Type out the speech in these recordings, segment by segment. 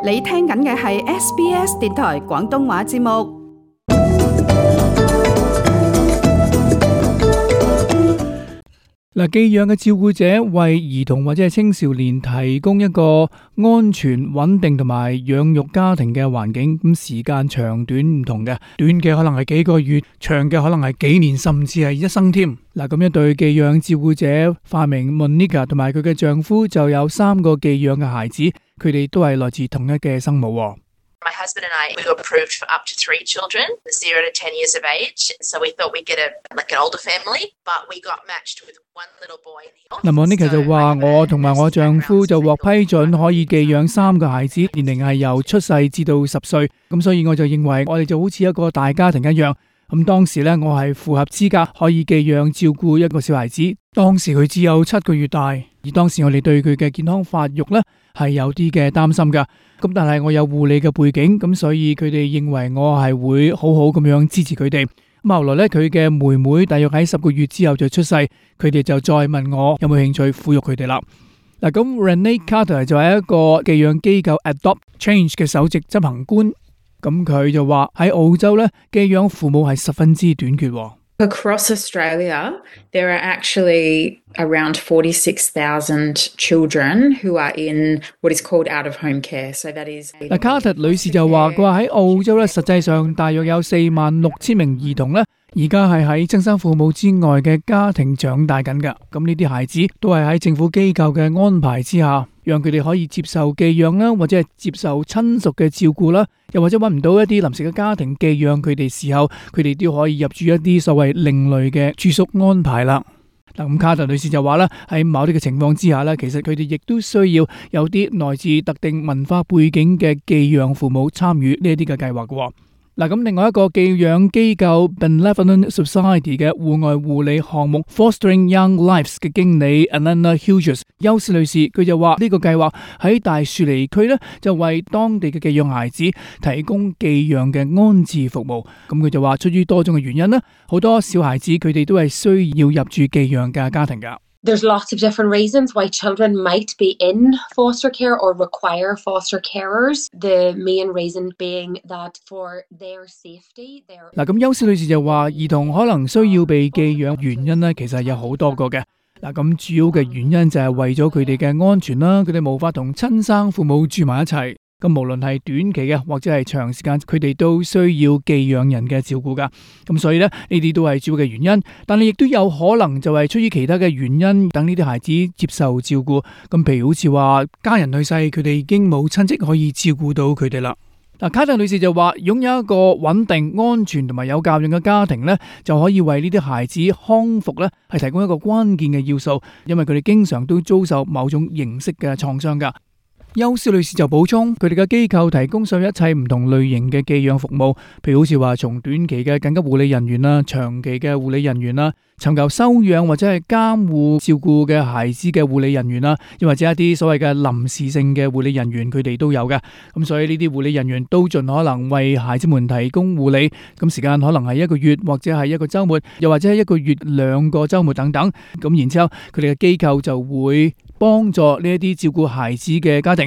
你聽緊嘅係 SBS 電台廣東話節目。嗱，寄養嘅照顧者為兒童或者係青少年提供一個安全、穩定同埋養育家庭嘅環境。咁時間長短唔同嘅，短嘅可能係幾個月，長嘅可能係幾年，甚至係一生添。嗱，咁一對寄養照顧者化名 Monica 同埋佢嘅丈夫就有3個寄養嘅孩子，佢哋都係來自同一嘅生母。My husband and I, we were approved for up to 3 children, 0 to 10 years of age. So we thought we'd get an older family, but we got matched with one little boy. 嗱，Monica 就話我同埋我丈夫就獲批准可以寄養3個孩子，年齡係由出世至到10歲。咁所以我就認為我哋就好似一個大家庭一樣。咁當時呢，我係符合資格可以寄養照顧一個小孩子。當時佢只有7個月大，而當時我哋對佢嘅健康發育呢係有啲嘅擔心噶。咁但係我有護理嘅背景，咁所以佢哋認為我係會好好咁樣支持佢哋。咁後來呢，佢嘅妹妹大約喺10個月之後就出世，佢哋就再問我有冇興趣撫育佢哋啦。嗱，咁 Renee Carter 就係一個寄養機構 Adopt Change 嘅首席執行官。咁佢就話喺澳洲咧，寄養父母係十分之短缺。Across Australia, there are actually around 46,000 children who are in what is called out-of-home care. So that is 嗱，卡特女士就話佢話喺澳洲咧，實際上大約有46,000名兒童咧，而家係喺親生父母之外嘅家庭長大緊㗎。咁呢啲孩子都係喺政府機構嘅安排之下，讓佢哋可以接受寄養啦，或者係接受親屬嘅照顧啦，又或者揾唔到一啲臨時嘅家庭寄養佢哋時候，佢哋都可以入住一啲所謂另類嘅住宿安排啦。嗱，咁卡特女士就話啦，喺某啲嘅情況之下咧，其實佢哋亦都需要有啲來自特定文化背景嘅寄養父母參與呢一啲嘅計劃嘅。嗱，咁另外一個寄養機構 Benevolent Society 嘅戶外護理項目 Fostering Young Lives 嘅經理 Alana Hughes 休斯女士，佢就話呢個計劃喺大雪梨區咧，就為當地嘅寄養孩子提供寄養嘅安置服務。咁佢就話出於多種嘅原因啦，好多小孩子佢哋都係需要入住寄養嘅家庭噶。There's lots of different reasons why children might be in foster care or require foster carers. The main reason being that for their safety,嗱，咁休斯女士就話，兒童可能需要被寄養原因呢，其實有好多個嘅。嗱，咁主要嘅原因就係為咗佢哋嘅安全啦，佢哋無法同親生父母住埋一齊。咁無論係短期嘅或者係長時間，佢哋都需要寄養人嘅照顧噶。咁所以呢，呢啲都係主要嘅原因，但係亦都有可能就係出於其他嘅原因，等呢啲孩子接受照顧。咁譬如好似話家人去世，佢哋已經冇親戚可以照顧到佢哋啦。嗱，卡特女士就話，擁有一個穩定、安全同埋有教養嘅家庭呢，就可以為呢啲孩子康復呢係提供一個關鍵嘅要素，因為佢哋經常都遭受某種形式嘅創傷噶。休斯女士就補充，佢哋嘅機構提供上一切唔同類型嘅寄養服務，譬如好似話從短期嘅緊急護理人員啦、長期嘅護理人員啦、尋求收養或者係監護照顧嘅孩子嘅護理人員啦，又或者一啲所謂嘅臨時性嘅護理人員，佢哋都有嘅。咁所以呢啲護理人員都盡可能為孩子們提供護理，咁時間可能係1個月或者係1個週末，又或者係1個月2個週末等等。咁然之後佢哋嘅機構就會幫助呢一啲照顧孩子嘅家庭。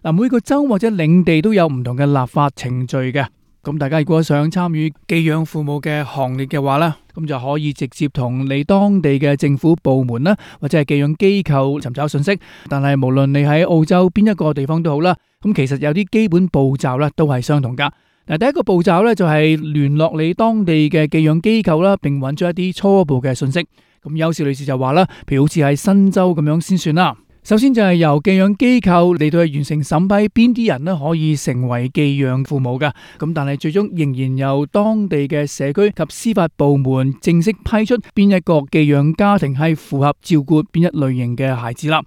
嗱，每個州或者領地都有唔同嘅立法程序嘅。咁大家如果想參與寄養父母嘅行列嘅話呢，咁就可以直接同你當地嘅政府部門啦，或者係寄養機構尋找信息。但係無論你喺澳洲邊一個地方都好啦，咁其實有啲基本步驟咧都係相同噶。嗱，第一個步驟咧就係聯絡你當地嘅寄養機構啦，並揾咗一啲初步嘅信息。咁休士女士就話啦，譬如好似喺新州咁樣先算啦。首先就係由寄養機構嚟到去完成審批，邊啲人咧可以成為寄養父母㗎。咁但係最終仍然由當地嘅社區及司法部門正式批出邊一個寄養家庭係符合照顧邊一類型嘅孩子啦。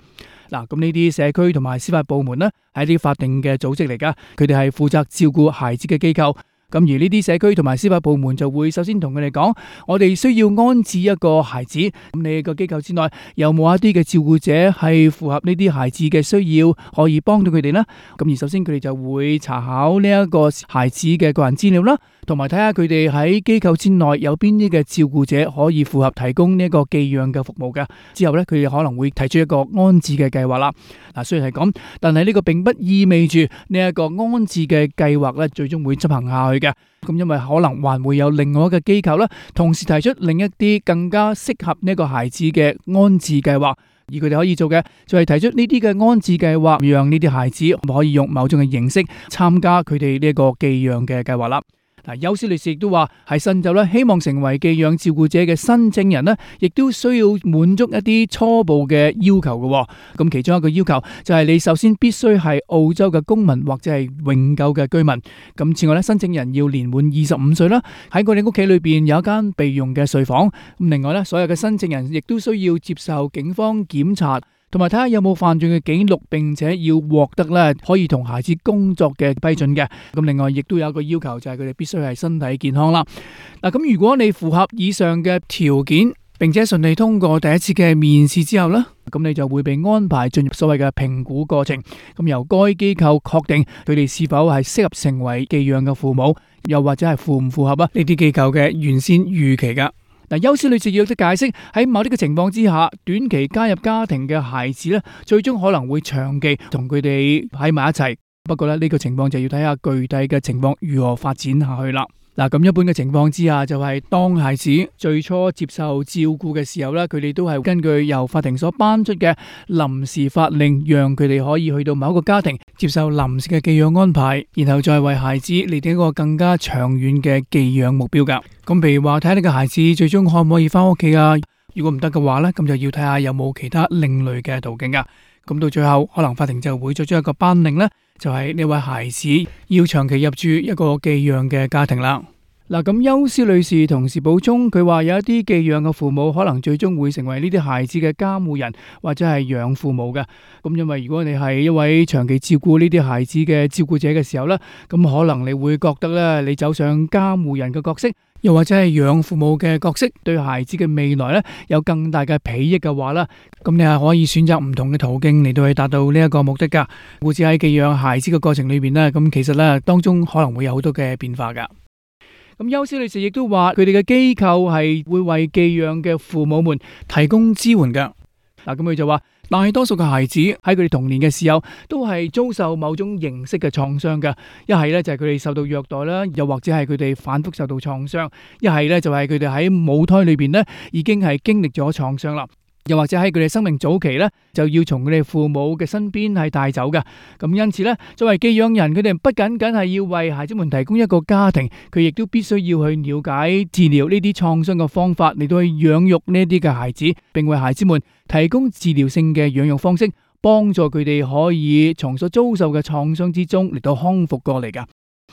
嗱，咁呢啲社區同埋司法部門呢係一啲法定嘅組織嚟噶，佢哋係負責照顧孩子嘅機構。咁而呢啲社區同埋司法部門就會首先同佢哋講，我哋需要安置一個孩子。咁你個機構之內有冇一啲嘅照顧者係符合呢啲孩子嘅需要，可以幫到佢哋呢？咁而首先佢哋就會查考呢一個孩子嘅個人資料啦，同埋睇下佢哋喺機構之內有邊啲嘅照顧者可以符合提供呢一個寄養嘅服務嘅。之後呢，佢哋可能會提出一個安置嘅計劃啦。雖然係咁，但係呢個並不意味住呢一個安置嘅計劃咧最終會執行下去嘅。咁因為可能還會有另外一個機構啦，同時提出另一啲更加適合呢個孩子嘅安置計劃，而佢哋可以做嘅就係提出呢啲嘅安置計劃，讓呢啲孩子可以用某種嘅形式參加佢哋呢一個寄養嘅計劃啦。邱思女士亦都話喺新州咧，希望成為寄養照顧者嘅申請人呢，亦都需要滿足一啲初步嘅要求嘅。咁其中一個要求就係你首先必須係澳洲嘅公民或者係永久嘅居民。咁此外咧，申請人要年滿25歲啦，喺佢哋屋企裏邊有一間備用嘅睡房。咁另外咧，所有嘅申請人亦都需要接受警方檢查，同埋睇下有冇犯罪嘅記錄，並且要獲得咧可以同孩子工作嘅批准嘅。咁另外亦都有一個要求，就係佢哋必須係身體健康啦。咁如果你符合以上嘅條件，並且順利通過第一次嘅面試之後呢，咁你就會被安排進入所謂嘅評估過程。咁由該機構確定佢哋是否係適合成為寄養嘅父母，又或者係符唔符合呢啲機構嘅原先預期噶。邱思女士亦都解釋，喺某啲嘅情況之下，短期加入家庭嘅孩子咧，最終可能會長期同佢哋喺埋一齊。不過咧，呢個情況就要睇下具體嘅情況如何發展下去啦。咁一般嘅情況之下，就係當孩子最初接受照顧嘅時候咧，佢哋都係根據由法庭所頒出嘅臨時法令，讓佢哋可以去到某一個家庭接受臨時嘅寄養安排，然後再為孩子嚟定一個更加長遠嘅寄養目標噶。咁譬如話睇下你嘅孩子最終可唔可以翻屋企啊？如果唔得嘅話咧，咁就要睇下有冇其他另類嘅途徑噶。咁到最後，可能法庭就會作出一個頒令咧，就係呢位孩子要長期入住一個寄養嘅家庭啦。咁邱思女士同時補充，佢話有一啲寄養嘅父母可能最終會成為呢啲孩子嘅監護人或者係養父母嘅。咁因為如果你係一位長期照顧呢啲孩子嘅照顧者嘅時候呢，咁可能你會覺得咧，你走上監護人嘅角色，又或者係養父母嘅角色，對孩子嘅未來咧有更大嘅裨益嘅話啦，咁你係可以選擇唔同嘅途徑嚟到去達到呢一個目的噶。故此喺寄養孩子嘅過程裏邊呢，咁其實咧當中可能會有好多嘅變化噶。咁邱思女士亦都話，佢哋嘅機構係會為寄養嘅父母們提供支援嘅。咁佢就話，大多數嘅孩子喺佢哋童年嘅時候，都係遭受某種形式嘅創傷嘅。一係咧就係佢哋受到虐待啦，又或者係佢哋反覆受到創傷；一係咧就係佢哋喺母胎裏邊咧已經係經歷咗創傷啦。又或者喺佢哋生命早期咧，就要從佢哋父母嘅身邊係帶走嘅。咁因此咧，作為寄養人，佢哋不僅僅係要為孩子們提供一個家庭，佢亦都必須要去了解治療呢啲創傷嘅方法，嚟到去養育呢啲嘅孩子，並為孩子們提供治療性嘅養育方式，幫助佢哋可以從所遭受嘅創傷之中嚟到康復過嚟噶。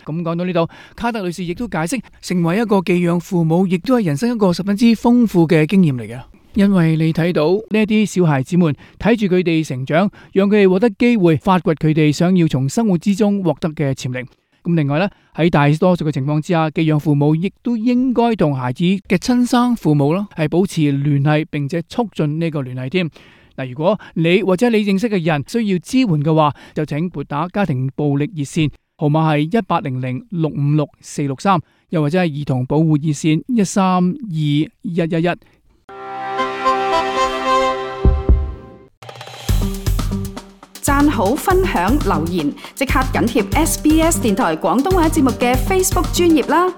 咁講到呢度，卡特女士亦都解釋，成為一個寄養父母，亦都係人生一個十分之豐富嘅經驗嚟嘅。因為你睇到呢啲小孩子們睇住佢哋成長，讓佢哋獲得機會發掘佢哋想要從生活之中獲得嘅潛力。咁另外呢，喺大多數嘅情況之下，寄養父母亦都應該同孩子嘅親生父母啦係保持聯繫，並且促進呢個聯繫添。如果你或者你認識嘅人需要支援嘅話，就請撥打家庭暴力熱線，號碼係1800-656-463，又或者係兒童保護熱線132-111。讚好、分享、留言，即刻緊貼SBS 電台廣東話節目嘅 Facebook 專頁啦！